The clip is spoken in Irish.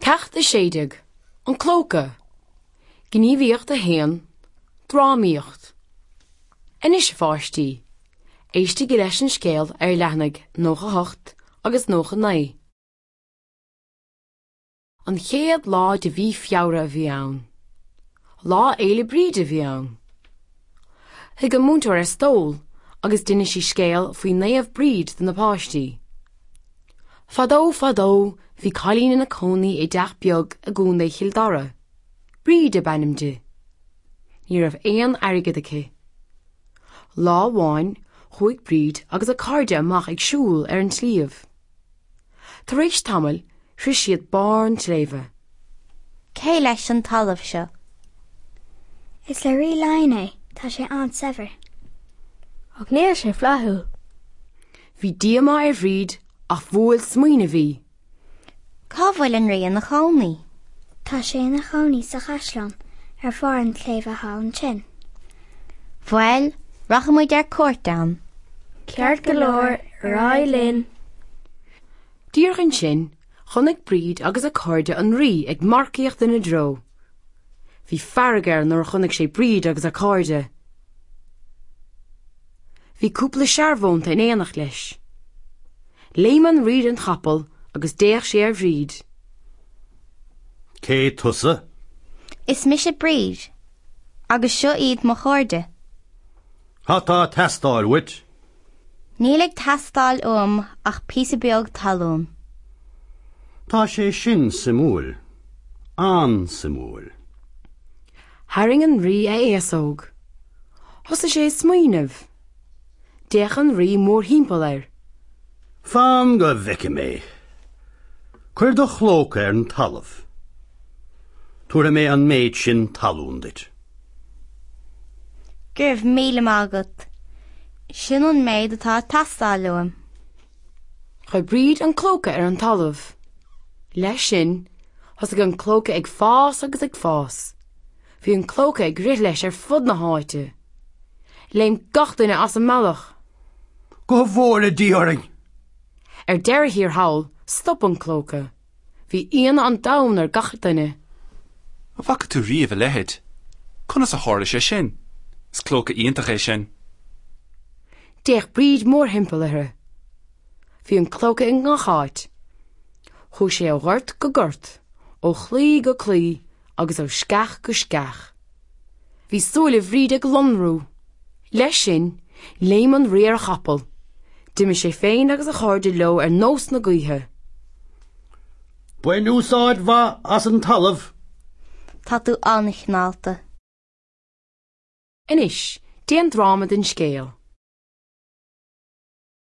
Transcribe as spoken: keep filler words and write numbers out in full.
Ceacht a sé déag, An Clóca, Gníomhaíocht a haon, Drámaíocht. Anois, a pháistí, éistigí leis an scéal ar leathanaigh nócha hocht agus nócha naoi. An chéad lá de mhí Feabhra a bhí ann. Lá Fhéile Bríde a bhí ann. Shuigh an múinteoir ar stól agus d'inis sí scéal faoi Naomh Bríd do na páistí. Fadó fadó bhí cailín ina cónaí i dteach beag i gContae Chill Dara. Bríd ab ainm di. Ní raibh aon airgead aici. Lá amháin chuaigh Bríd agus a cairde amach ag siúl ar an sliabh. Tar éis tamaill shroich siad barr an tsléibhe. Cé leis an talamh seo? Is le Rí Laighean é, tá sé an-saibhir. Ach níl sé flaithiúil. Bhí díomá ar Bhríd ach bhuail smaoineamh í. Cá bhfuil an rí ina chónaí? Tá sé ina chónaí sa chaisleán ar bharr an tsléibhe thall ansin. Bhuel, rachaimid ar cuairt ann. Ceart go leor ar aghaidh linn. Díreach ansin, chonaic Bríd agus a cairde an rí ag marcaíocht ina dtreo. Bhí fearg air nuair a chonaic sé Bríd agus a cairde. Bhí cúpla searbhónta in éineacht leis. Léim an rí den chapall agus d'fhéach sé ar Bhríd. Cé tusa? Is mise Bríd, agus seo iad mo chairde. Cad tá ag teastáil uait? Níl ag teastáil uaim ach píosa beag talún. Tá sé sin suimiúil. An-suimiúil. Tharraing an rí a fhéasóg. Thosaigh sé ag smaoineamh. D'fhéach an rí mórthimpeall air. Fan go bhfeicfidh mé. Cuir do chlóca ar an talamh. Tabharfaidh mé an méid sin talún duit. Go raibh míle maith agat. Sin an méid atá ag teastáil uaim. Chuir Bríd an clóca ar an talamh. Leis sin, thosaigh an clóca ag fás agus ag fás. Bhí an clóca ag rith leis ar fud na háite. Léim gach duine as an mbealach. Go bhfóire Dia orainn! Ar deireadh thiar thall, stop an clóca. Bhí ionadh an domhain ar gach duine. An bhfaca tú riamh a leithéid? Conas a tharla sé sin? Is clóca iontach é sin. D'fhéach Bríd mórthimpeall uirthi. Bhí an clóca i ngach áit. Chuaigh sé ó ghort go gort, ó chlaí go claí agus ó sceach go sceach. Bhí súile Bhríd ag lonrú. Leis sin, léim an rí ar a chapall. D'imigh sé féin agus a chairde leo ar nós na gaoithe. Bain úsáid mhaith as an talamh. Tá tú an-chineálta. Anois, déan dráma den scéal.